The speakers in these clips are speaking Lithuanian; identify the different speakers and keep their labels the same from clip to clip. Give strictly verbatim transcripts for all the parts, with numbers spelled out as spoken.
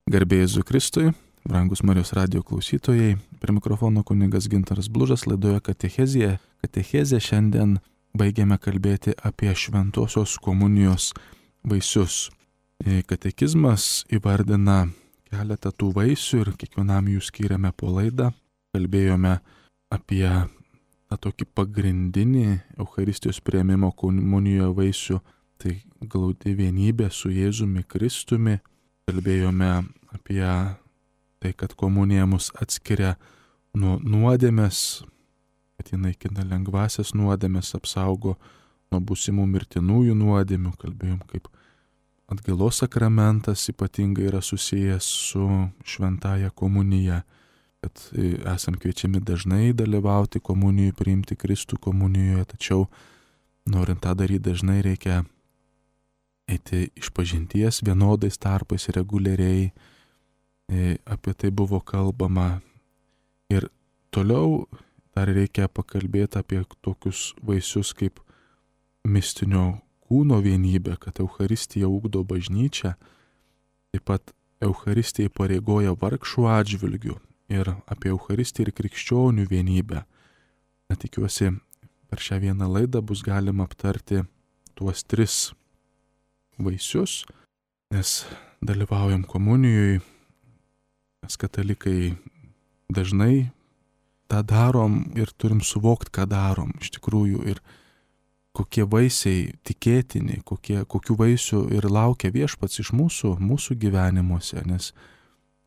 Speaker 1: Garbė Jėzui Kristui, brangus Marijos radijo klausytojai, prie mikrofono kunigas Gintaras Blužas, laidoje Katechezija. Katechezija šiandien baigiame kalbėti apie šventosios komunijos vaisius. Katekizmas įvardina keletą tų vaisių ir kiekvienam jų skiriame po laidą. Kalbėjome apie tą tokį pagrindinį Eucharistijos priėmimo komunijoje vaisių, tai glaudi vienybė su Jėzumi Kristumi. Kalbėjome apie tai, kad komunija mus atskiria nuo nuodėmės, kad ji naikina lengvasias nuodėmės, apsaugo nuo būsimų mirtinųjų nuodėmių. Kalbėjom, kaip atgailos sakramentas ypatingai yra susijęs su šventąja komunija, kad esam kviečiami dažnai dalyvauti komunijoje, priimti Kristų komunijoje, tačiau norint tą daryti dažnai reikia eiti iš pažinties vienodais tarpais reguliariai, apie tai buvo kalbama. Ir toliau dar reikia pakalbėti apie tokius vaisius kaip mistinio kūno vienybė, kad Eucharistija ugdo bažnyčią, taip pat Eucharistija įpareigoja vargšų atžvilgių ir apie Eucharistiją ir krikščionių vienybę. Tikiuosi, per šią vieną laidą bus galima aptarti tuos tris vaisius, nes dalyvaujam komunijoje, mes katalikai dažnai tą darom ir turim suvokti, ką darom iš tikrųjų ir kokie vaisiai tikėtini, kokie, kokių vaisių ir laukia viešpats iš mūsų, mūsų gyvenimuose, nes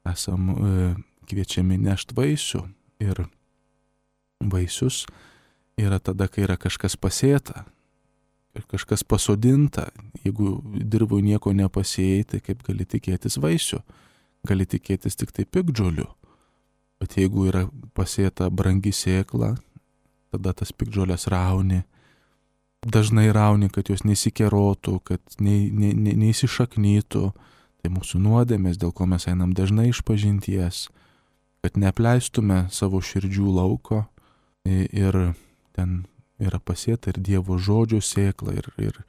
Speaker 1: esam e, kviečiami nešti vaisių ir vaisius yra tada, kai yra kažkas pasėta. Ir kažkas pasodinta, jeigu dirvoj nieko nepasėjai, tai kaip gali tikėtis vaisių, gali tikėtis tik tai piktžolių. Bet jeigu yra pasėta brangi sėkla, tada tas piktžolės rauni, dažnai rauni, kad jos nesikerotų, kad ne, ne, ne, neįsišaknytų, tai mūsų nuodėmės, dėl ko mes einam dažnai iš pažinties, kad neapleistume savo širdžių lauko ir ten yra pasėta ir Dievo žodžio sėkla ir, ir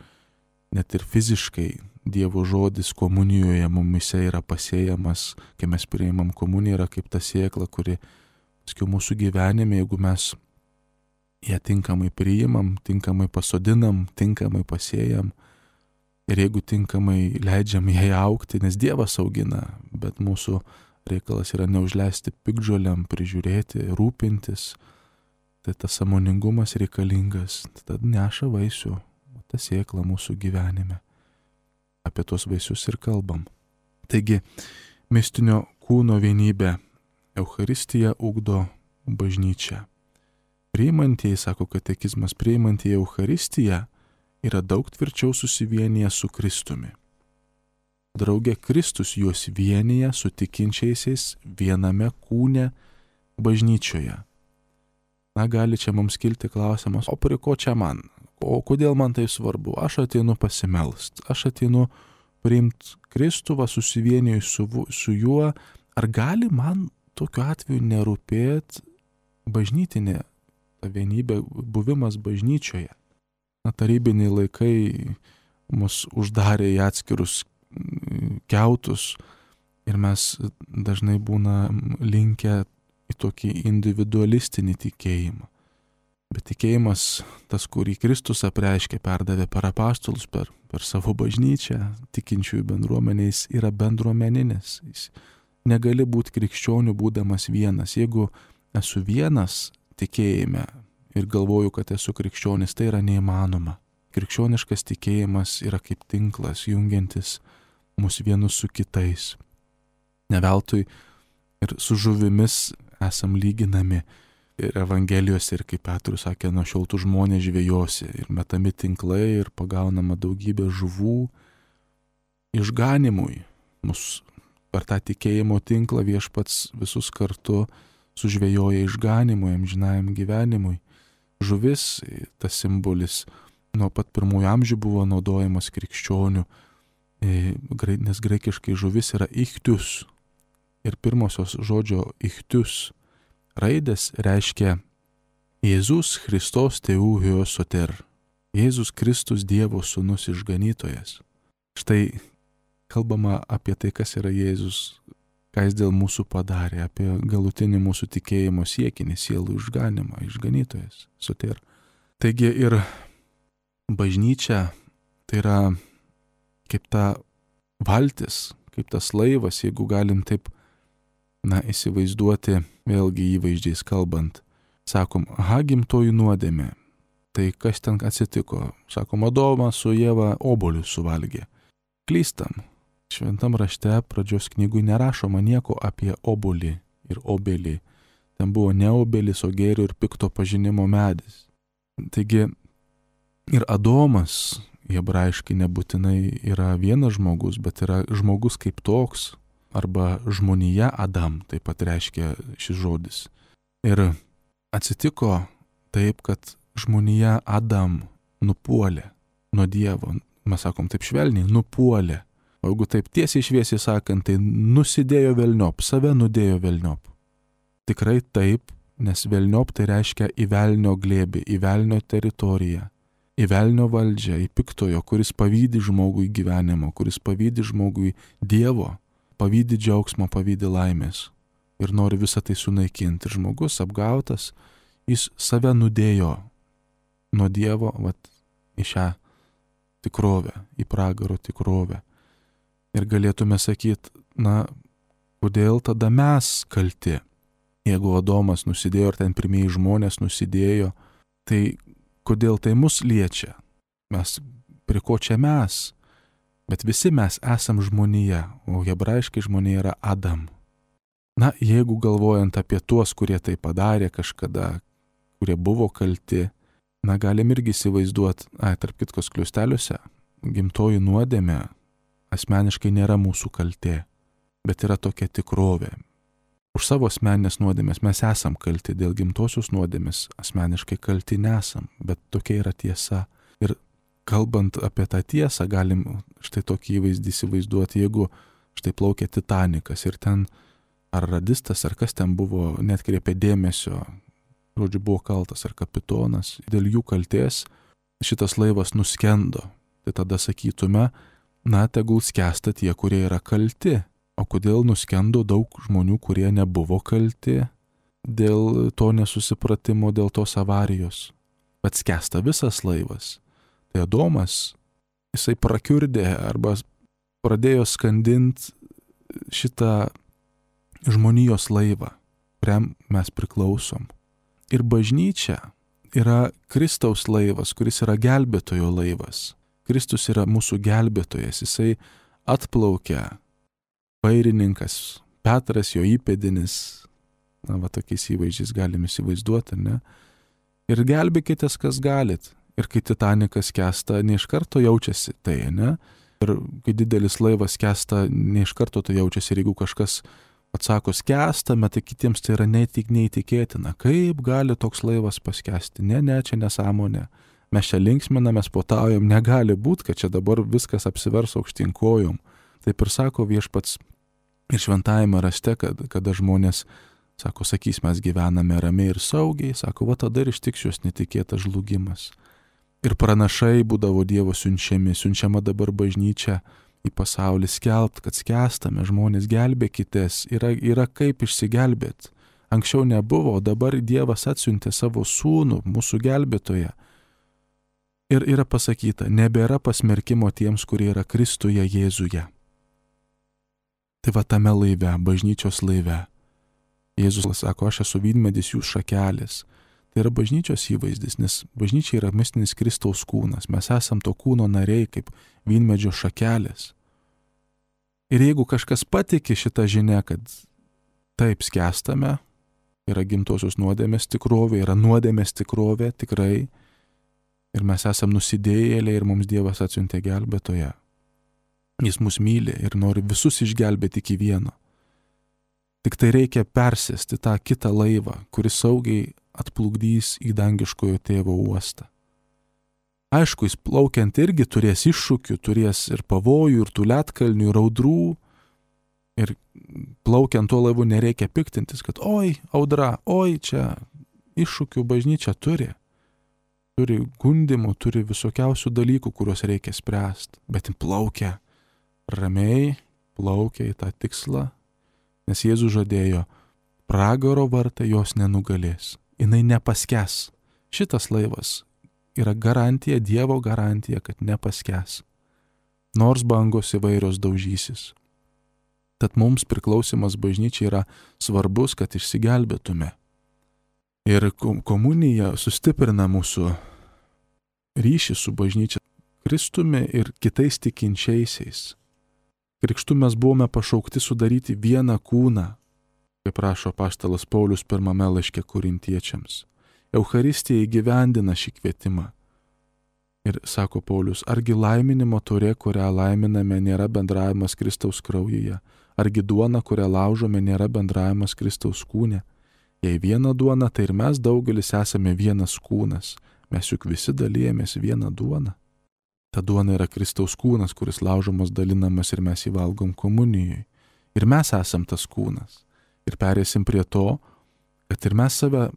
Speaker 1: net ir fiziškai Dievo žodis komunijoje mumise yra pasėjamas, kai mes priimam komuniją, yra kaip ta sėkla, kuri paskui mūsų gyvenime, jeigu mes ją tinkamai priimam, tinkamai pasodinam, tinkamai pasėjam ir jeigu tinkamai leidžiam jai augti, nes Dievas augina, bet mūsų reikalas yra neužleisti piktžolėm, prižiūrėti, rūpintis. Tai tas sąmoningumas reikalingas, tada neša vaisių, ta sėkla mūsų gyvenime. Apie tos vaisius ir kalbam. Taigi, mistinio kūno vienybė, Eucharistija ugdo bažnyčią. Priimantieji, sako katekizmas, priimantieji Eucharistiją yra daug tvirčiau susivienyje su Kristumi. Drauge Kristus juos vienyje su tikinčiaisiais viename kūne bažnyčioje. Na, gali čia mums kilti klausimas, o prie ko čia man? O kodėl man tai svarbu? Aš ateinu pasimelst, aš ateinu priimti Kristų, va, susivieniju su, su juo. Ar gali man tokiu atveju nerūpėti bažnytinė ta vienybė, buvimas bažnyčioje? Na, tarybiniai laikai mus uždarė į atskirus kiautus ir mes dažnai būna linkę į tokį individualistinį tikėjimą. Bet tikėjimas, tas, kurį Kristus apreiškė, perdavė per apaštalus, per, per savo bažnyčią, tikinčiųjų bendruomeniais, yra bendruomeninis. Jis negali būti krikščionių būdamas vienas. Jeigu esu vienas tikėjime ir galvoju, kad esu krikščionis, tai yra neįmanoma. Krikščioniškas tikėjimas yra kaip tinklas, jungiantis mus vienus su kitais. Ne veltui ir su žuvimis esam lyginami ir Evangelijose, ir kaip Petrus sakė, nuo šiol tų žmonės žvejosi ir metami tinklai ir pagaunama daugybė žuvų išganimui. Mus per tą tikėjimo tinklą viešpats visus kartu sužvejoja išganimui, amžinajam gyvenimui. Žuvis, tas simbolis, nuo pat pirmųjų amžių buvo naudojamas krikščionių, nes graikiškai žuvis yra ichtius. Ir pirmosios žodžio ichtius raidės reiškia Jėzus Christos Teu Hiosoter. Jėzus Kristus Dievo sūnus išganytojas. Štai kalbama apie tai, kas yra Jėzus ką jis dėl mūsų padarė, apie galutinį mūsų tikėjimo siekinį, sielų išganimą, išganytojas, soter. Taigi ir bažnyčia tai yra kaip ta valtis, kaip tas laivas, jeigu galim taip, na, įsivaizduoti, vėlgi įvaizdžiais kalbant. Sakom, aha, gimtoji nuodėmė. Tai kas ten atsitiko? Sakom, Adomas su Ieva obuolius suvalgė. Klystam. Šventam rašte pradžios knygui nerašoma nieko apie obuolį ir obelį. Ten buvo ne obelis, o gėrio ir pikto pažinimo medis. Taigi ir Adomas, hebrajiškai nebūtinai yra vienas žmogus, bet yra žmogus kaip toks, arba žmonija Adam, taip pat reiškia šis žodis. Ir atsitiko taip, kad žmonija Adam nupuolė nuo Dievo. Mes sakom taip švelniai, nupuolė. O jeigu taip tiesiai šviesiai sakant, tai nusidėjo velniop, save nudėjo velniop. Tikrai taip, nes velniop tai reiškia į velnio glėbį, į velnio teritoriją, į velnio valdžią, į piktojo, kuris pavydi žmogui gyvenimo, kuris pavydi žmogui Dievo, pavydi džiaugsmo, pavydi laimės ir nori visą tai sunaikinti. Ir žmogus apgautas, jis save nudėjo nuo Dievo, vat, į šią tikrovę, į pragaro tikrovę. Ir galėtume sakyti, na, kodėl tada mes kalti? Jeigu Adomas nusidėjo ir ten pirmieji žmonės nusidėjo, tai kodėl tai mus liečia? Mes, prie ko čia mes? Bet visi mes esam žmonija, o hebrajiškai žmonija yra Adam. Na, jeigu galvojant apie tuos, kurie tai padarė kažkada, kurie buvo kalti, na, galim irgi įsivaizduoti, ai, tarp kitkos kliusteliuose, gimtoji nuodėmė asmeniškai nėra mūsų kaltė, bet yra tokia tikrovė. Už savo asmeninės nuodėmės mes esam kalti, dėl gimtosios nuodėmės asmeniškai kalti nesam, bet tokia yra tiesa. Ir kalbant apie tą tiesą, galim štai tokį įvaizdį įsivaizduoti, jeigu štai plaukia Titanikas ir ten ar radistas, ar kas ten buvo, netkreipė dėmesio, žodžiu, buvo kaltas ar kapitonas, dėl jų kaltės šitas laivas nuskendo. Tai tada sakytume, na, tegul skęsta tie, kurie yra kalti. O kodėl nuskendo daug žmonių, kurie nebuvo kalti dėl to nesusipratimo, dėl tos avarijos? Bet skęsta visas laivas. Tai Adomas, jisai prakiurdė arba pradėjo skandinti šitą žmonijos laivą, kuriam mes priklausom. Ir bažnyčia yra Kristaus laivas, kuris yra gelbėtojo laivas. Kristus yra mūsų gelbėtojas, jisai atplaukia, vairininkas, Petras jo įpėdinis, na, va, tokiais įvaizdžiais galim įsivaizduoti, ne? Ir gelbėkitės, kas galit. Ir kai Titanikas skęsta, ne iš karto jaučiasi tai, ne? Ir kai didelis laivas skęsta, ne iš karto tai jaučiasi. Ir jeigu kažkas atsako skęstame, tai kitiems tai yra neįtik, neįtikėtina. Kaip gali toks laivas paskęsti? Ne, ne, čia nesąmonė. Mes čia linksminamės, potaujam, negali būti, kad čia dabar viskas apsivers aukštyn kojom. Taip ir sako viešpats ir šventajame rašte, kad, kada žmonės, sako, sakys, mes gyvename ramiai ir saugiai, sako, va tada ir ištiks jos netikėtas žlugimas. Ir pranašai būdavo Dievo siunčiami, siunčiama dabar bažnyčia į pasaulį skelbt, kad skęstame, žmonės gelbėkitės, yra, yra kaip išsigelbėti. Anksčiau nebuvo, dabar Dievas atsiuntė savo sūnų, mūsų gelbėtoją. Ir yra pasakyta, nebėra pasmerkimo tiems, kurie yra Kristuje Jėzuje. Tai va tame laive, bažnyčios laive. Jėzus sako, aš esu vynmedis, jūs šakelės. Tai yra bažnyčios įvaizdis, nes bažnyčia yra mistinis Kristaus kūnas. Mes esam to kūno nariai kaip vynmedžio šakelės. Ir jeigu kažkas patiki šitą žinią, kad taip skęstame, yra gimtosios nuodėmės tikrovė, yra nuodėmės tikrovė tikrai, ir mes esam nusidėjėliai ir mums Dievas atsiuntė gelbėtoją. Jis mus myli ir nori visus išgelbėti iki vieno. Tik tai reikia persėsti tą kitą laivą, kuris saugiai atplukdys į dangiškojo tėvo uostą. Aišku, jis plaukiant irgi turės iššūkių, turės ir pavojų, ir tų ledkalnių, ir audrų. Ir plaukiant tuo laivu nereikia piktintis, kad oi, audra, oi, čia iššūkių bažnyčia turi. Turi gundimų, turi visokiausių dalykų, kuriuos reikia spręsti. Bet plaukia ramiai, plaukia į tą tikslą, Nes Jėzus žadėjo, pragaro vartai jos nenugalės. Jinai nepaskęs. Šitas laivas yra garantija, Dievo garantija, kad nepaskęs. Nors bangos įvairios daužysis. Tad mums priklausimas bažnyčiai yra svarbus, kad išsigelbėtume. Ir komunija sustiprina mūsų ryšį su bažnyčia, Kristumi ir kitais tikinčiaisiais. Krikštu mes buvome pašaukti sudaryti vieną kūną, kaip rašo apaštalas Paulius pirmame laiške Korintiečiams. Eucharistija įgyvendina šį kvietimą. Ir sako Paulius, argi laiminimo taurė, kurią laiminame, nėra bendravimas Kristaus kraujyje, argi duona, kurią laužome, nėra bendravimas Kristaus kūne. Jei viena duona, tai ir mes daugelis esame vienas kūnas, mes juk visi dalijamės vieną duoną. Ta duona yra Kristaus kūnas, kuris laužomas, dalinamas ir mes jį valgom komunijoje. Ir mes esam tas kūnas. Ir perėsim prie to, kad ir mes save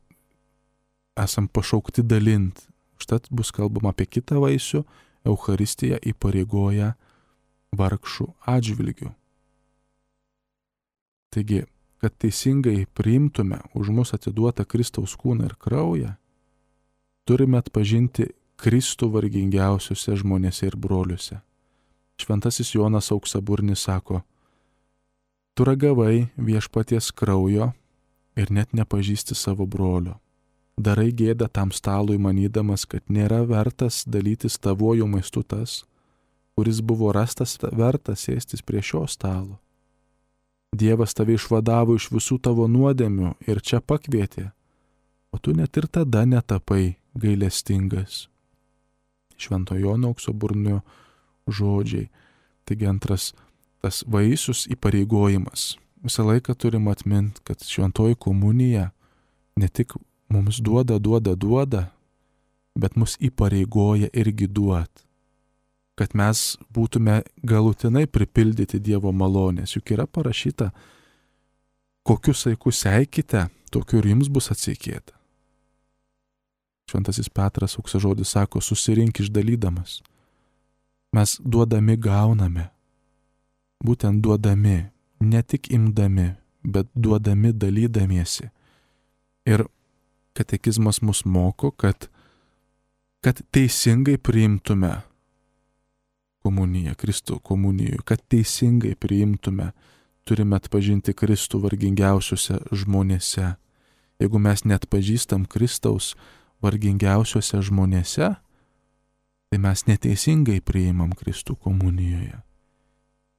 Speaker 1: esam pašaukti dalinti. Užtat bus kalbama apie kitą vaisių, Eucharistija įpareigoja vargšų atžvilgių. Taigi, kad teisingai priimtume už mus atiduotą Kristaus kūną ir kraują, turime atpažinti Kristų vargingiausiuose žmonėse ir broliuose. Šventasis Jonas Auksaburnis sako, tu ragavai viešpaties kraujo ir net nepažįsti savo brolio. Darai gėdą tam stalui, manydamas, kad nėra vertas dalytis tavuoju maistu tas, kuris buvo rastas vertas sėstis prie šio stalo. Dievas tave išvadavo iš visų tavo nuodėmių ir čia pakvietė, o tu net ir tada netapai gailestingas. Švento Jono Auksaburnio žodžiai. Taigi antras tas vaisius įpareigojimas. Visą laiką turim atminti, kad šventoji komunija ne tik mums duoda, duoda, duoda, bet mus įpareigoja irgi duot. Kad mes būtume galutinai pripildyti Dievo malonės. Juk yra parašyta, kokius saikus seikite, tokiu ir jums bus atseikėta. Šventasis Petras auksažodis sako, susirink išdalydamas. Mes duodami gauname. Būtent duodami, ne tik imdami, bet duodami dalydamiesi. Ir katekizmas mus moko, kad, kad teisingai priimtume komuniją, Kristų komunijoje, kad teisingai priimtume, turime atpažinti Kristų vargingiausiuose žmonėse. Jeigu mes neatpažįstam Kristaus vargingiausiuose žmonėse, tai mes neteisingai priimam Kristų komunijoje.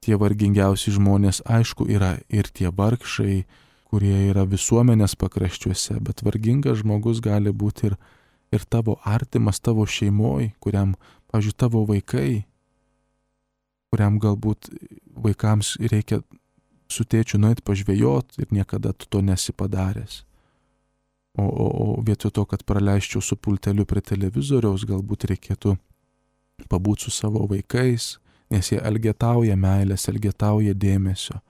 Speaker 1: Tie vargingiausi žmonės, aišku, yra ir tie vargšai, kurie yra visuomenės pakraščiuose, bet vargingas žmogus gali būti ir, ir tavo artimas, tavo šeimoj, kuriam, pavyzdžiui, tavo vaikai, kuriam galbūt vaikams reikia su tėčiu nueit pažvejot ir niekada tu to nesi padaręs. O, o, o vietoj to, kad praleisčiau su pulteliu prie televizoriaus, galbūt reikėtų pabūti su savo vaikais, nes jie elgetauja meilės, elgetauja dėmesio.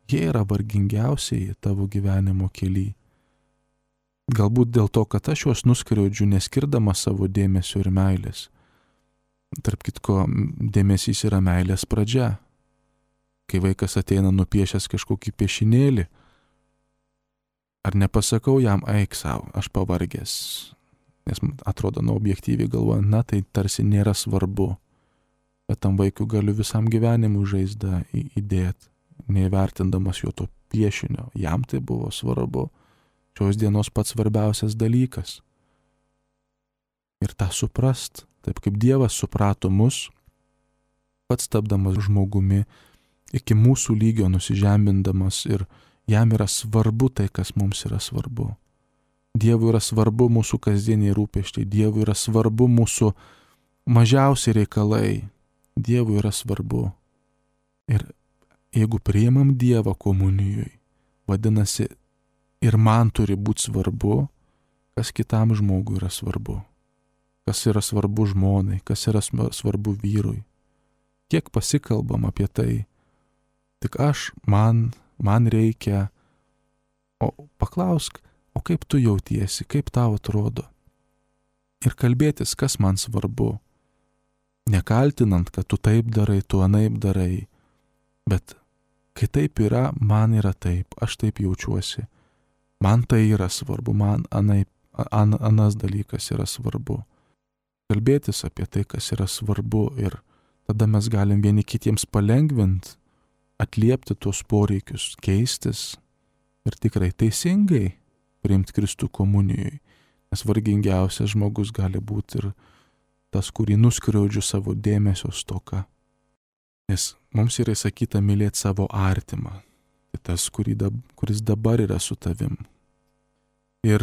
Speaker 1: Jie yra vargingiausiai tavo gyvenimo kely. Galbūt dėl to, kad aš juos nuskriaudžiu, neskirdama savo dėmesio ir meilės. Tarp kitko, dėmesys yra meilės pradžia. Kai vaikas ateina nupiešęs kažkokį piešinėlį, ar nepasakau jam, eik savo, aš pavargęs, nes atrodo, nu, objektyviai galvojant, na, tai tarsi nėra svarbu, bet tam vaikui galiu visam gyvenimui žaizdą įdėti, neįvertindamas jo to piešinio. Jam tai buvo svarbu, šios dienos pats svarbiausias dalykas. Ir tą suprast, taip kaip Dievas suprato mus, pats tapdamas žmogumi, iki mūsų lygio nusižemindamas ir jam yra svarbu tai, kas mums yra svarbu. Dievui yra svarbu mūsų kasdieniai rūpesčiai, Dievui yra svarbu mūsų mažiausi reikalai, Dievui yra svarbu. Ir jeigu priimam Dievą komunijoj, vadinasi, ir man turi būti svarbu, kas kitam žmogui yra svarbu. Kas yra svarbu žmonai, kas yra svarbu vyrui. Kiek pasikalbam apie tai, tik aš, man, man reikia, o paklausk, o kaip tu jautiesi, kaip tau atrodo. Ir kalbėtis, kas man svarbu. Nekaltinant, kad tu taip darai, tu anaip darai, bet Kai taip yra, man yra taip, aš taip jaučiuosi. Man tai yra svarbu, man anai, an, anas dalykas yra svarbu. Kalbėtis apie tai, kas yra svarbu, ir tada mes galim vieni kitiems palengvinti, atliepti tuos poreikius, keistis ir tikrai teisingai priimti Kristų komunijoje. Nes vargingiausias žmogus gali būti ir tas, kurį nuskriaudžiu savo dėmesio stoka. Nes mums yra įsakyta mylėti savo artimą. Tai tas, kuris dabar yra su tavim. Ir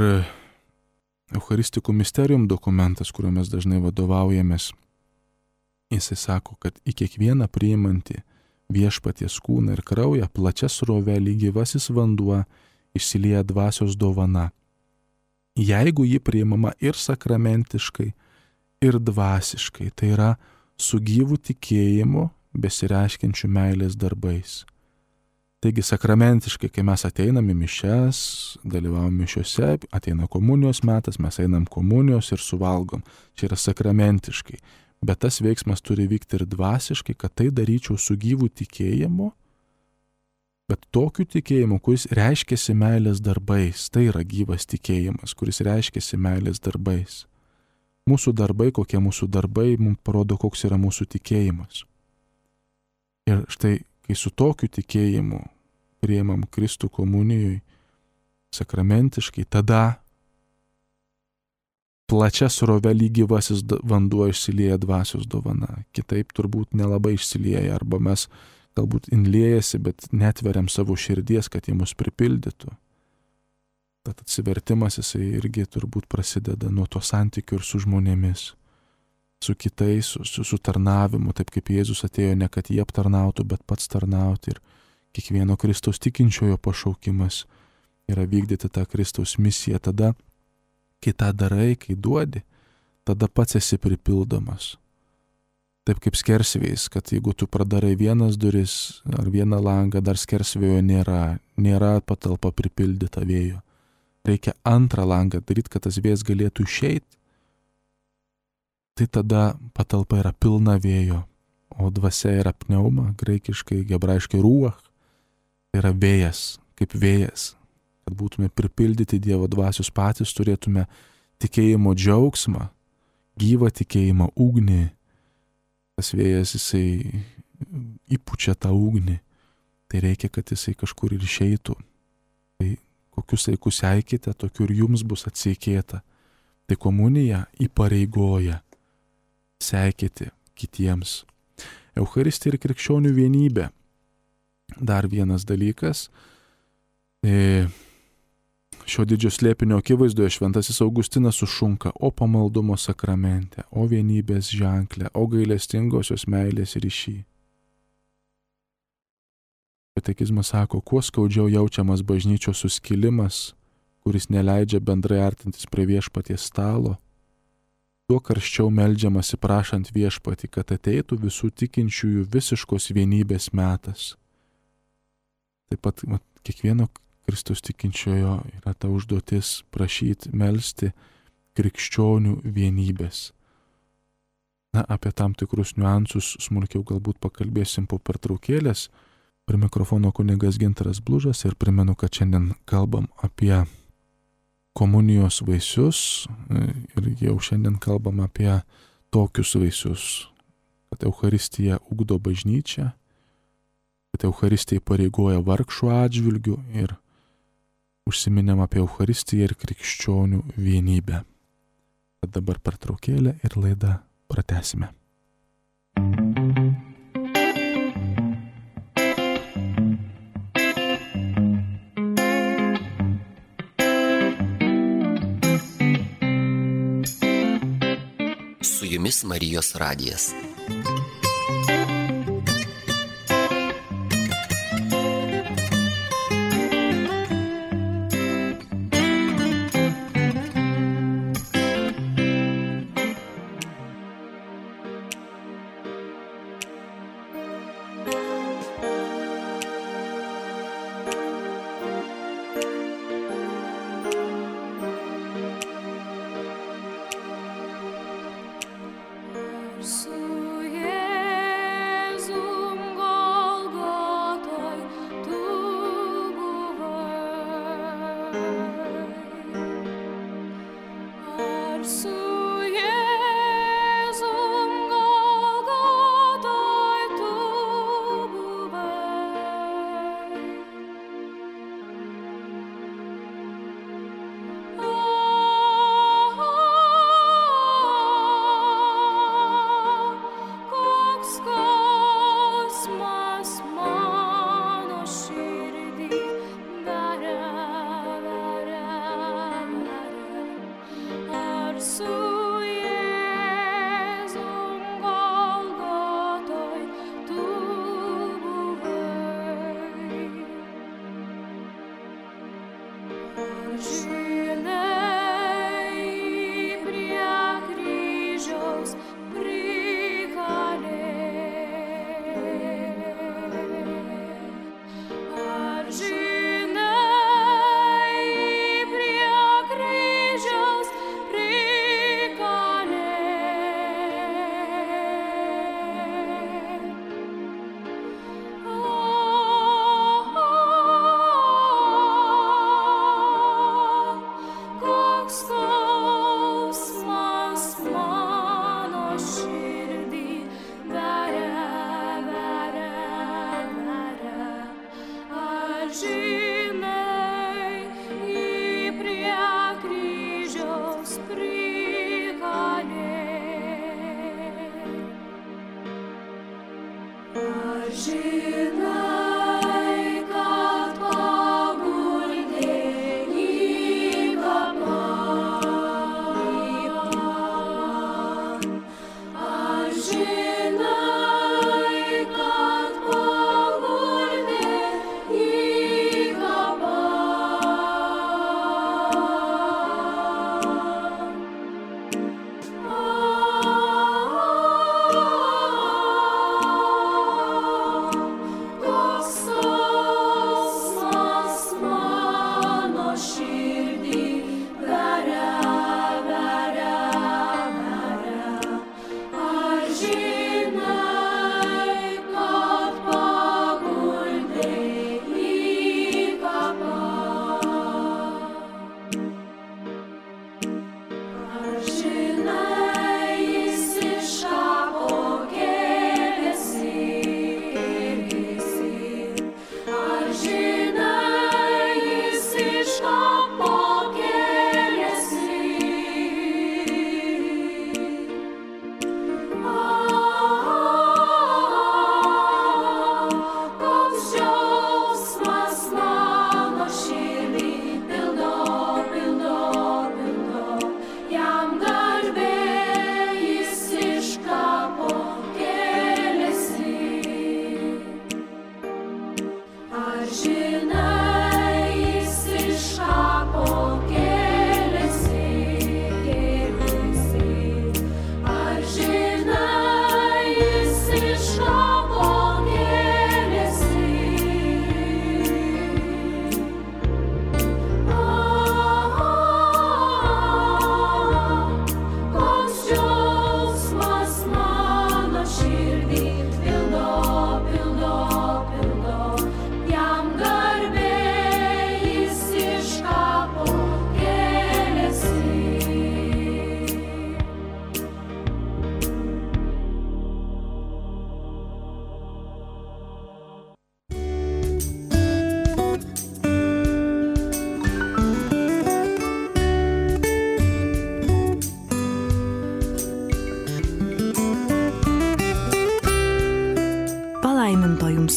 Speaker 1: Eucharistikų Mysterium dokumentas, kuriuo mes dažnai vadovaujamės, jisai sako, kad į kiekvieną priimantį viešpaties kūną ir kraują plačia srove lyg gyvasis vanduo išsilieja dvasios dovana. Jeigu ji priimama ir sakramentiškai, ir dvasiškai, tai yra su gyvu tikėjimu besireiškiančių meilės darbais. Taigi sakramentiškai, kai mes ateinam į mišias, dalyvavom mišiuose, ateina komunijos metas, mes einam komunijos ir suvalgom. Čia yra sakramentiškai. Bet tas veiksmas turi vykti ir dvasiškai, kad tai daryčiau su gyvu tikėjimu, bet tokiu tikėjimu, kuris reiškiasi meilės darbais. Tai yra gyvas tikėjimas, kuris reiškiasi meilės darbais. Mūsų darbai, kokie mūsų darbai, mums parodo, koks yra mūsų tikėjimas. Ir štai, kai su tokiu tikėjimu priimam Kristų komunijoje sakramentiškai, tada plačia srove lyg gyvasis vanduo išsilieja dvasios dovana. Kitaip turbūt nelabai išsilieja, arba mes galbūt inliejasi, bet netveriam savo širdies, kad jie mus pripildytų. Tad atsivertimas jisai irgi turbūt prasideda nuo to santykių ir su žmonėmis, su kitais, su, su, su tarnavimu, taip kaip Jėzus atėjo ne kad jie aptarnautų, bet pats tarnauti. Ir kiekvieno Kristaus tikinčiojo pašaukimas yra vykdyti tą Kristaus misiją. Tada, kai tą darai, kai duodi, tada pats esi pripildomas. Taip kaip skersvėjais, kad jeigu tu pradarai vienas duris ar vieną langą, dar skersvėjo nėra, nėra patalpa pripildyta vėjo. Reikia antrą langą daryti, kad tas vėjas galėtų išeiti. Tai tada patalpa yra pilna vėjo, o dvasia yra pneuma, graikiškai, hebrajiškai ruach, tai yra vėjas, kaip vėjas. Kad būtume pripildyti Dievo dvasios patys, turėtume tikėjimo džiaugsmą, gyvą tikėjimo ugnį. Tas vėjas, jisai įpučia tą ugnį, tai reikia, kad jisai kažkur ir išeitų. Tai kokius laikus eikite, tokiu ir jums bus atseikėta. Tai komunija įpareigoja seikėti kitiems. Eucharistija ir krikščionių vienybė. Dar vienas dalykas. E, šio didžio slėpinio akivaizdoje šventasis Augustinas sušunka: o pamaldumo sakramente, o vienybės ženklė, o gailestingosios meilės ryšy. Katekizmas sako, kuo skaudžiau jaučiamas bažnyčios suskilimas, kuris neleidžia bendrai artintis prie viešpaties stalo, tuo karščiau meldžiamasi prašant viešpatį, kad ateitų visų tikinčiųjų visiškos vienybės metas. Taip pat mat, kiekvieno Kristaus tikinčiojo yra ta užduotis prašyti, melsti krikščionių vienybės. Na, apie tam tikrus niuansus smulkiau galbūt pakalbėsim po pertraukėlės. Prie mikrofono kunigas Gintaras Blužas ir primenu, kad šiandien kalbam apie komunijos vaisius ir jau šiandien kalbam apie tokius vaisius, kad Eucharistija ugdo bažnyčią, kad Eucharistija įpareigoja vargšų atžvilgių ir užsiminėm apie Eucharistiją ir krikščionių vienybę. Tad dabar pertraukėlė ir laidą pratęsime.
Speaker 2: Su jumis Marijos radijas.
Speaker 3: Su Jėzumi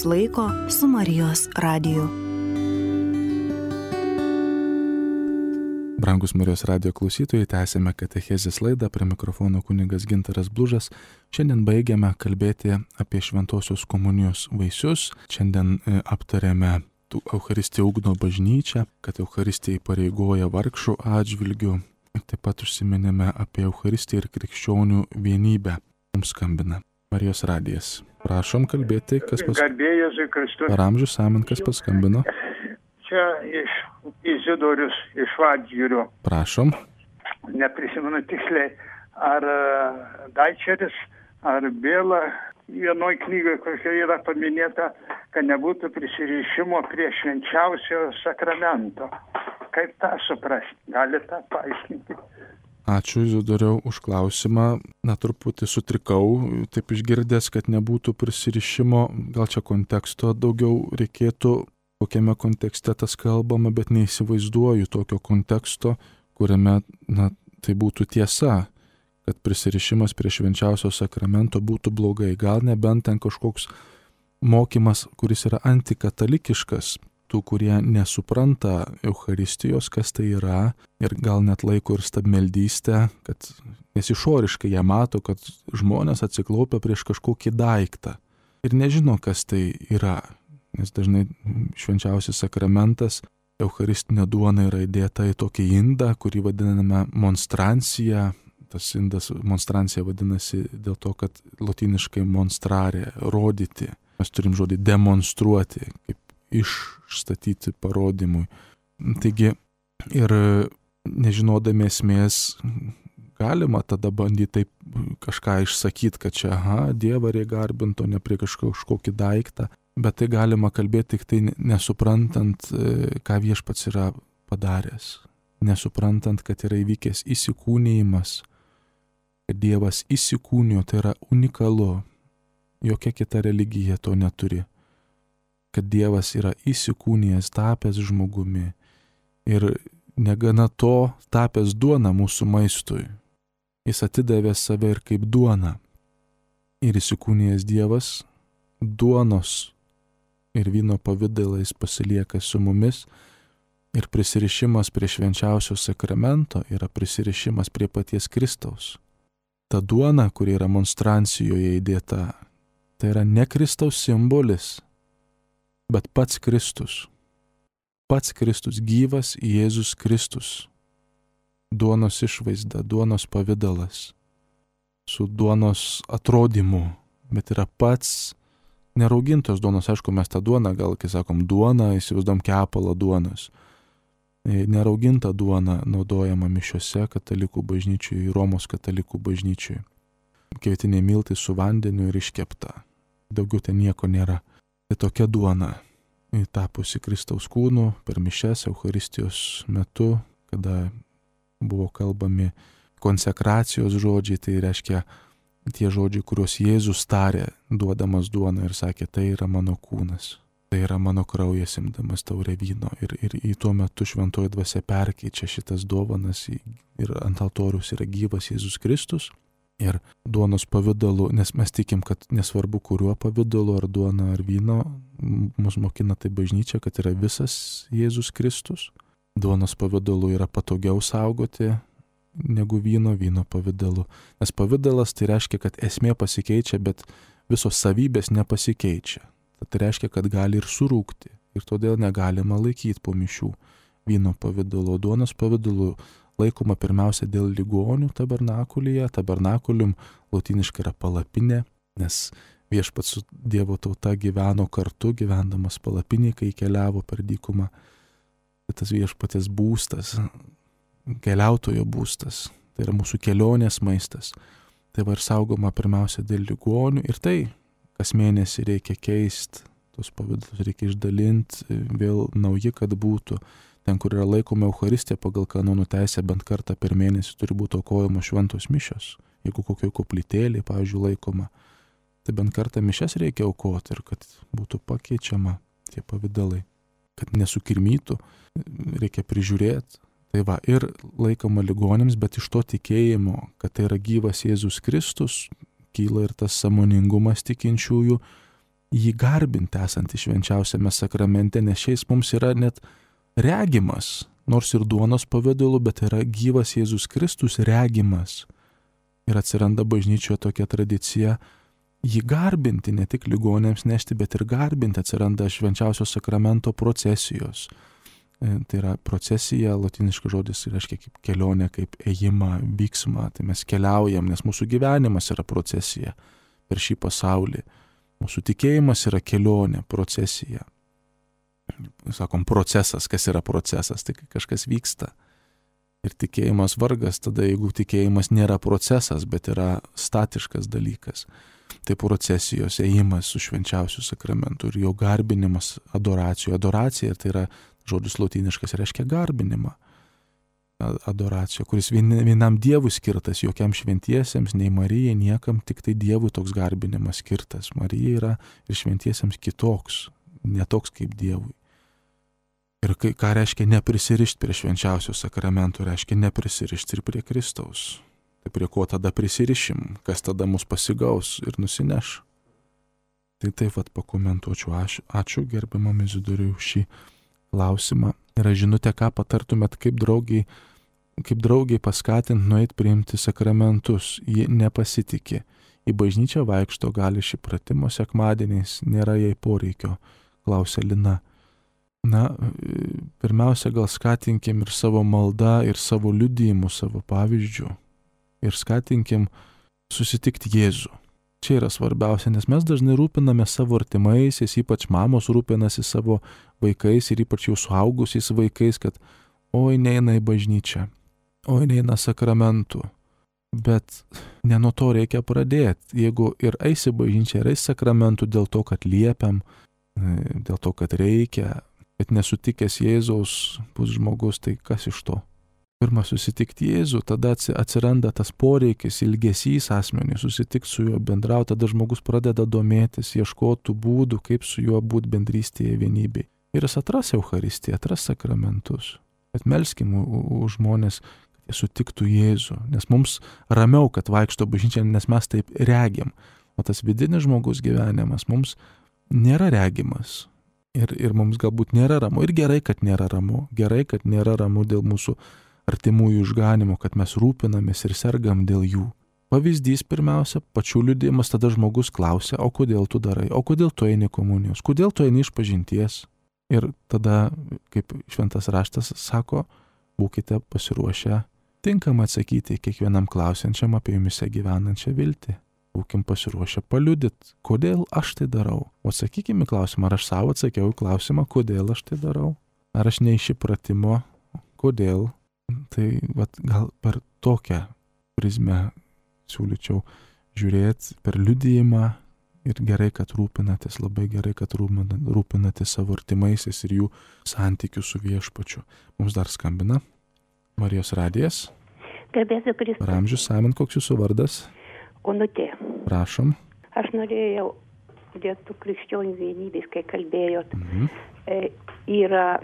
Speaker 3: Laiko su Marijos radiju.
Speaker 1: Brangus Marijos radijo klausytojai, tęsėme katechezės laidą, prie mikrofono kunigas Gintaras Blužas. Šiandien baigiame kalbėti apie šventosios komunijos vaisius. Šiandien aptarėme Eucharistiją ugdo bažnyčią, kad Eucharistija įpareigoja vargšų atžvilgių. Taip pat užsiminėme apie Eucharistiją ir krikščionių vienybę. Mums skambina Marijos radijas. Prašom kalbėti, kas paskambino.
Speaker 4: Garbė Jėzui Kristui.
Speaker 1: Per amžius amen, kas paskambino.
Speaker 4: Čia iš Izidorius iš Vadžgirio.
Speaker 1: Prašom.
Speaker 4: Neprisimenu tiksliai, ar Daičeris, ar Bėla. Vienoj knygoje, kokia yra paminėta, kad nebūtų prisirišimo prie švenčiausio sakramento. Kaip tą suprasti? Galite tą paaiškinti?
Speaker 1: Ačiū, Izidoriau, už klausimą. Na, truputį sutrikau, taip išgirdęs, kad nebūtų prisirišimo. Gal čia konteksto daugiau reikėtų, kokiame kontekste tas kalbama, bet neįsivaizduoju tokio konteksto, kuriame, na, tai būtų tiesa, kad prisirišimas prie švenčiausio sakramento būtų blogai. Gal nebent ten kažkoks mokymas, kuris yra antikatalikiškas, tų, kurie nesupranta Eucharistijos, kas tai yra, ir gal net laiko ir stabmeldystę, kad nes išoriškai jie mato, kad žmonės atsiklaupia prieš kažkokį daiktą ir nežino, kas tai yra, nes dažnai švenčiausias sakramentas eucharistinė duona yra įdėta į tokį indą, kurį vadiname monstrancija. Tas indas monstrancija vadinasi dėl to, kad lotyniškai monstrare, rodyti. Mes turim žodį demonstruoti, kaip išstatyti parodymui. Taigi ir nežinodami esmės galima tada bandyti taip kažką išsakyti, kad čia, aha, Dievą reikia garbinti, o ne prie kažkokį daiktą. Bet tai galima kalbėti tik tai nesuprantant, ką viešpats yra padaręs. Nesuprantant, kad yra įvykęs įsikūnijimas, kad Dievas įsikūnijo, tai yra unikalu. Jokia kita religija to neturi. Kad Dievas yra įsikūnijęs, tapęs žmogumi. Ir negana to, tapęs duona mūsų maistui. Jis atidavė save ir kaip duona. Ir įsikūnijęs Dievas duonos ir vyno pavidalais pasilieka su mumis. Ir prisirišimas prie švenčiausio sakramento yra prisirišimas prie paties Kristaus. Ta duona, kuri yra monstrancijoje įdėta, tai yra ne Kristaus simbolis, bet pats Kristus. Pats Kristus, gyvas Jėzus Kristus. Duonos išvaizda, duonos pavidalas, su duonos atrodymu, bet yra pats neraugintos duonos. Aišku, mes tą duoną, gal kai sakom duoną, įsivaizduom kepalą duonos. Nerauginta duona naudojama mišiose katalikų bažnyčiui, Romos katalikų bažnyčiui. Kvietiniai miltai su vandeniu ir iškepta. Daugiau ten nieko nėra. Tai tokia duona, tapusi Kristaus kūnu per mišias Eucharistijos metu, kada buvo kalbami konsekracijos žodžiai, tai reiškia tie žodžiai, kuriuos Jėzus tarė, duodamas duoną ir sakė, tai yra mano kūnas. Tai yra mano kraujas imdamas taurę vyno. Ir, ir į tuo metu šventoji dvasia perkeičia šitas dovanas ir ant altoriaus yra gyvas Jėzus Kristus. Ir duonos pavidalu, nes mes tikim, kad nesvarbu kuriuo pavidalu, ar duona, ar vyno, mus mokina tai bažnyčia, kad yra visas Jėzus Kristus. Duonos pavidalu yra patogiau saugoti negu vyno, vyno pavidalu. Nes pavidalas tai reiškia, kad esmė pasikeičia, bet visos savybės nepasikeičia. Tai reiškia, kad gali ir surūkti. Ir todėl negalima laikyti po mišių vyno pavidalu. Duonos pavidalu laikoma pirmiausia dėl ligonių tabernakulyje. Tabernakulium lotyniškai yra palapinė, nes viešpats su Dievo tauta gyveno kartu, gyvendamas palapinėje, kai keliavo per dykumą. Tas viešpatės būstas, keliautojo būstas, tai yra mūsų kelionės maistas. Tai va ir saugoma pirmiausia dėl ligonių. Ir tai kas mėnesį reikia keisti, tos pavidalus reikia išdalinti, vėl nauji, kad būtų. Ten, kur yra laikoma Eucharistija pagal kanonų teisę, bent kartą per mėnesį turi būti aukojama šventos mišios. Jeigu kokio koplytėlė, pavyzdžiui, laikoma, tai bent kartą mišias reikia aukoti ir kad būtų pakeičiama tie pavidalai. Kad nesukirmytų, reikia prižiūrėti. Tai va, ir laikoma ligonėms, bet iš to tikėjimo, kad tai yra gyvas Jėzus Kristus, kyla ir tas sąmoningumas tikinčiųjų jį garbinti esantį švenčiausiame sakramente, nes šiais mums yra net regimas, nors ir duonos pavidalu, bet yra gyvas Jėzus Kristus regimas. Ir atsiranda bažnyčioje tokia tradicija jį garbinti, ne tik ligonėms nešti, bet ir garbinti. Atsiranda švenčiausio sakramento procesijos. Tai yra procesija, lotyniškas žodis reiškia kaip kelionė, kaip ėjimą, vyksmą. Tai mes keliaujam, nes mūsų gyvenimas yra procesija per šį pasaulį. Mūsų tikėjimas yra kelionė, procesija. Sakom, procesas, kas yra procesas, tai kažkas vyksta. Ir tikėjimas vargas, tada jeigu tikėjimas nėra procesas, bet yra statiškas dalykas. Tai procesijos ėjimas su švenčiausiu sakramentu ir jo garbinimas adoracijų. Adoracija tai yra žodis lotyniškas, reiškia garbinimą. Adoracija, kuris vienam Dievui skirtas, jokiam šventiesiems, nei Marijai, niekam, tik tai Dievui toks garbinimas skirtas. Marija yra ir šventiesiems kitoks, ne toks kaip Dievui. Ir ką reiškia neprisirišti prie švenčiausio sakramento, reiškia neprisirišti ir prie Kristaus. Tai prie ko tada prisirišim, kas tada mus pasigaus ir nusineš. Tai taip pat pakomentuočiau. Ačiū, ačiū gerbiamam Izidoriui už šį klausimą. Ir aš žinutę, ką patartumėt, kaip draugiai, kaip draugiai paskatinti nueit priimti sakramentus. Ji nepasitikė. Į bažnyčią vaikšto, gali šį pratimo sekmadieniais, nėra jai poreikio, klausia Lina. na, pirmiausia, gal skatinkim ir savo maldą, ir savo liudijimu, savo pavyzdžių. Ir skatinkim susitikti Jėzų. Čia yra svarbiausia, nes mes dažnai rūpiname savo artimaisiais, ypač mamos rūpinasi savo vaikais ir ypač jau suaugusiais vaikais, kad oi neina į bažnyčią, oi neina sakramentų. Bet ne nuo to reikia pradėti. Jeigu ir eisi bažnyčią, ir eisi sakramentų dėl to, kad liepiam, dėl to, kad reikia, bet nesutikęs Jėzaus bus žmogus, tai kas iš to? Pirma, susitikti Jėzų, tada atsiranda tas poreikis, ilgesys asmenį, susitikti su juo, bendrauti, tada žmogus pradeda domėtis, ieškoti būdų, kaip su juo būti bendrystėje, vienybėje. Ir jis atras Eucharistiją, atras sakramentus. Bet melskim už žmonės, kad jie sutiktų Jėzų, nes mums ramiau, kad vaikšto bažnyčia, nes mes taip regim. O tas vidinis žmogus gyvenimas mums nėra regimas. Ir, ir mums galbūt nėra ramu. Ir gerai, kad nėra ramu. Gerai, kad nėra ramu dėl mūsų artimųjų išganimo, kad mes rūpinamės ir sergam dėl jų. Pavyzdys pirmiausia, pačių liudijimas, tada žmogus klausia, o kodėl tu darai, o kodėl tu eini komunijos, kodėl tu eini išpažinties. Ir tada, kaip šventas raštas sako, būkite pasiruošę tinkamai atsakyti kiekvienam klausiančiam apie jumise gyvenančią viltį. Būkim pasiruošę paliudyti, kodėl aš tai darau. O atsakykime klausimą, ar aš savo atsakiau į klausimą, kodėl aš tai darau. Ar aš ne iš įpratimo, kodėl. Tai vat, gal per tokią prizmę siūlyčiau žiūrėti, per liudijimą ir gerai, kad rūpinatės, labai gerai, kad rūpinatės savo artimaisiais ir jų santykių su viešpačiu. Mums dar skambina Marijos radijas.
Speaker 5: Garbėsiu Kristus.
Speaker 1: Ramžius Samin, koks jūsų vardas?
Speaker 5: Onutė.
Speaker 1: Prašom.
Speaker 5: Aš norėjau dėl tų krikščionių vienybės, kai kalbėjot. Mhm. E, yra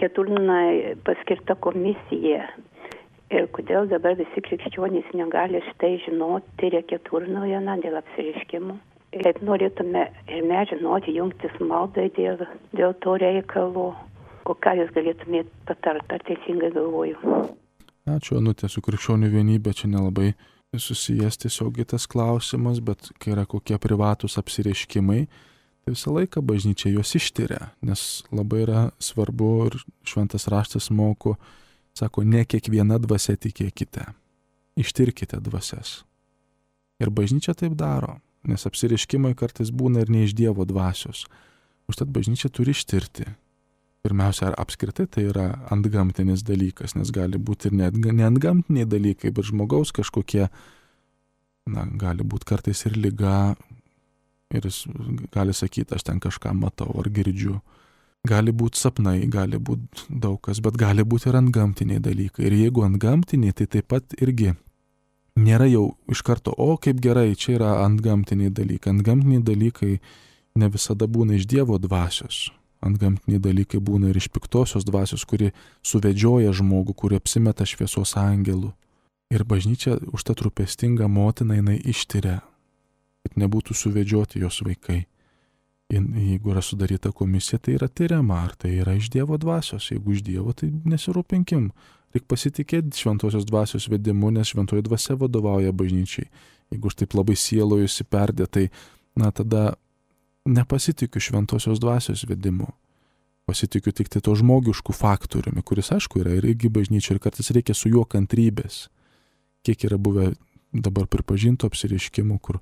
Speaker 5: Keturnai paskirta komisija. Ir kodėl dabar visi krikščionys negali štai žinoti, tai yra Keturnoje, na, dėl apsireiškimų. Kaip norėtume ir mes žinoti, jungtis maldai dėl, dėl to reikalo. O ką jūs galėtumėte patarti, ar teisingai galvoju?
Speaker 1: Ačiū, Onutė, su krikščionių vienybė čia nelabai susijęs tiesiogiai tas klausimas, bet kai yra kokie privatus apsireiškimai, tai visą laiką bažnyčia juos ištiria, nes labai yra svarbu ir šventas raštas moko, sako, ne kiekviena dvasia tikėkite, ištirkite dvasias. Ir bažnyčia taip daro, nes apsireiškimai kartais būna ir ne iš Dievo dvasios. Užtat bažnyčia turi ištirti. Pirmiausia, ar apskritai tai yra antgamtinis dalykas, nes gali būti ir net ne antgamtiniai dalykai, bet žmogaus kažkokie, na, gali būti kartais ir liga, ir jis gali sakyti, aš ten kažką matau ar girdžiu. Gali būti sapnai, gali būti daug kas, bet gali būti ir antgamtiniai dalykai. Ir jeigu antgamtiniai, tai taip pat irgi nėra jau iš karto, o kaip gerai, čia yra antgamtiniai dalykai. Antgamtiniai dalykai ne visada būna iš Dievo dvasios. Antgamtiniai dalykai būna ir iš piktosios dvasios, kuri suvedžioja žmogų, kuri apsimeta šviesos angelų. Ir bažnyčia užtat rūpestinga motina, jinai ištiria, kad nebūtų suvedžioti jos vaikai. Jeigu yra sudaryta komisija, tai yra tyriama, ar tai yra iš Dievo dvasios. Jeigu iš Dievo, tai nesirūpinkim. Reikia pasitikėti šventosios dvasios vedimu, nes šventoji dvasia vadovauja bažnyčiai. Jeigu aš taip labai sielojusi perdė, tai na tada nepasitikiu šventosios dvasios vedimu. Pasitikiu tik tai to žmogiškų faktoriumi, kuris aišku yra ir irgi bažnyčia, ir kartais reikia su juo kantrybės. Kiek yra buvę dabar pripažintų apsireiškimų, kur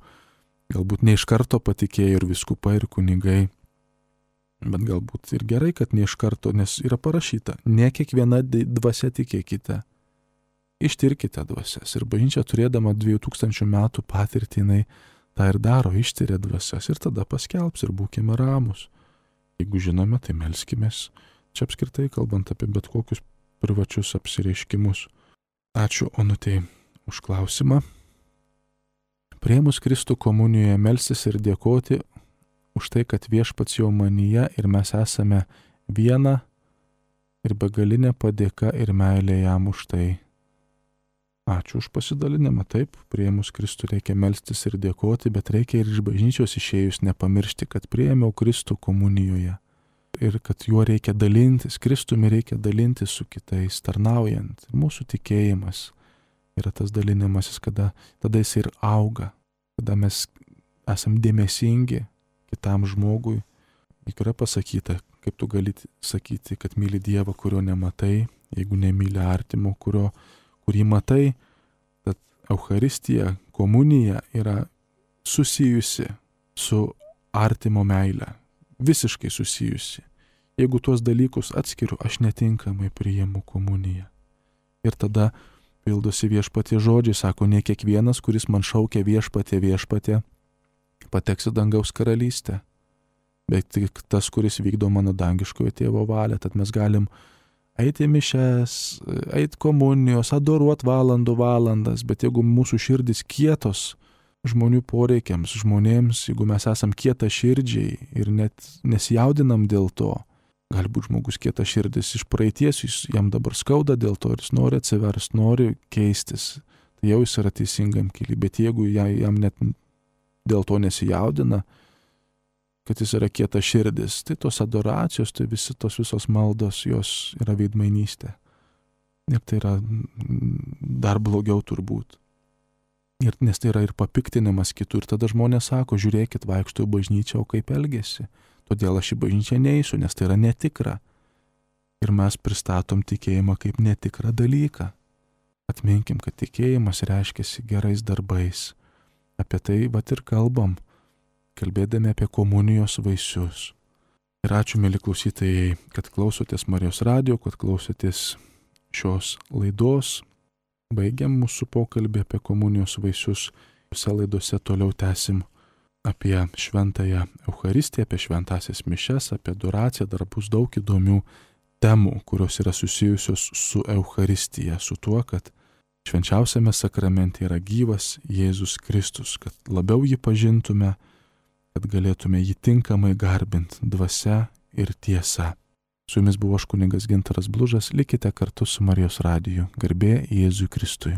Speaker 1: galbūt ne iš karto patikėjo ir vyskupai, ir kunigai, bet galbūt ir gerai, kad ne iš karto, nes yra parašyta, ne kiekviena dvasia tikėkite, ištirkite dvasias. Ir bažnyčia turėdama dviejų tūkstančių metų patirtį, jinai tą ir daro, ištiria dvasias ir tada paskelbs ir būkime ramus. Jeigu žinome, tai melskimės. Čia apskritai kalbant apie bet kokius privačius apsireiškimus. Ačiū Onutei už klausimą. Priėmus Kristų komunijoje melstis ir dėkoti už tai, kad viešpats jau manyje ir mes esame viena ir begalinė padėka ir meilė jam už tai. Ačiū už pasidalinimą. Taip, priėmus Kristų reikia melstis ir dėkoti, bet reikia ir iš bažnyčios išėjus nepamiršti, kad priėmiau Kristų komunijoje ir kad juo reikia dalintis, Kristumi reikia dalintis su kitais, tarnaujant. Ir mūsų tikėjimas yra tas dalinimasis, kada tada jis ir auga, kada mes esam dėmesingi kitam žmogui. Juk yra pasakyta, kaip tu gali sakyti, kad myli Dievą, kurio nematai, jeigu nemyli artimo, kurio, kurį matai, tad Eucharistija, komunija yra susijusi su artimo meile, visiškai susijusi. Jeigu tuos dalykus atskiriu, aš netinkamai priimu komuniją. Ir tada pildosi Viešpatie žodžiai, sako, ne kiekvienas, kuris man šaukia Viešpatie, Viešpatie, pateks į dangaus karalystę, bet tik tas, kuris vykdo mano dangiškojo tėvo valią. Tad mes galim eiti mišes, eiti komunijos, adoruot valandų valandas, bet jeigu mūsų širdis kietos žmonių poreikiams, žmonėms, jeigu mes esam kieta širdžiai ir net nesijaudinam dėl to, galbūt žmogus kieta širdis iš praeities, jam dabar skauda dėl to ir jis nori atsiverst, nori keistis, tai jau jis yra teisingam kely, bet jeigu jam net dėl to nesijaudina, kad jis yra kieta širdis, tai tos adoracijos, tai visi tos visos maldos, jos yra veidmainystė. Ir tai yra dar blogiau turbūt. Ir, nes tai yra ir papiktinimas kitų. Ir tada žmonės sako, žiūrėkit, vaikšto į bažnyčią, o kaip elgesi. Todėl aš į bažnyčią neįsiu, nes tai yra netikra. Ir mes pristatom tikėjimą kaip netikrą dalyką. Atminkim, kad tikėjimas reiškiasi gerais darbais. Apie tai vat ir kalbam, kalbėdami apie komunijos vaisius. Ir ačiū, mėly klausytojai, kad klausotės Marijos radijo, kad klausotės šios laidos. Baigiam mūsų pokalbį apie komunijos vaisius. Visose laidose toliau tęsim apie šventąją Eucharistiją, apie šventąsias mišes, apie adoraciją. Dar bus daug įdomių temų, kurios yra susijusios su Eucharistija, su tuo, kad švenčiausiame sakramente yra gyvas Jėzus Kristus, kad labiau jį pažintume, kad galėtume jį tinkamai garbinti dvasia ir tiesa. Su jumis buvo aš kunigas Gintaras Blužas, likite kartu su Marijos radiju. Garbė Jėzui Kristui.